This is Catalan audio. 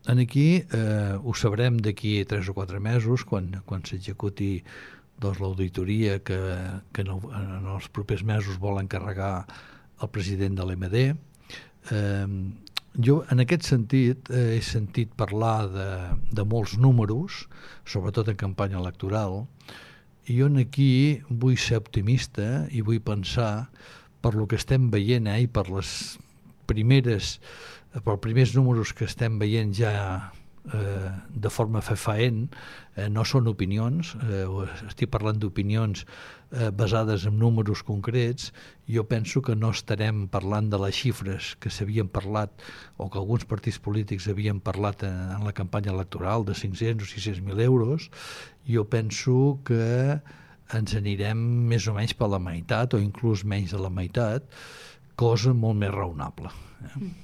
aquí ho sabrem d'aquí 3 o 4 mesos, quan s'executi l'auditoria que en els propers mesos vol encarregar el president de l'EMD. Jo, en aquest sentit, he sentit parlar de molts números, sobretot en campanya electoral, i jo aquí vull ser optimista i vull pensar, per lo que estem veient i pels primers números que estem veient ja de forma fefaent, no són opinions, estic parlant d'opinions basades en números concrets. Jo penso que no estarem parlant de les xifres que s'havien parlat o que alguns partits polítics havien parlat en la campanya electoral de 500 o 600.000 euros. Jo penso que ens anirem més o menys per la meitat o inclús menys de la meitat, cosa molt més raonable.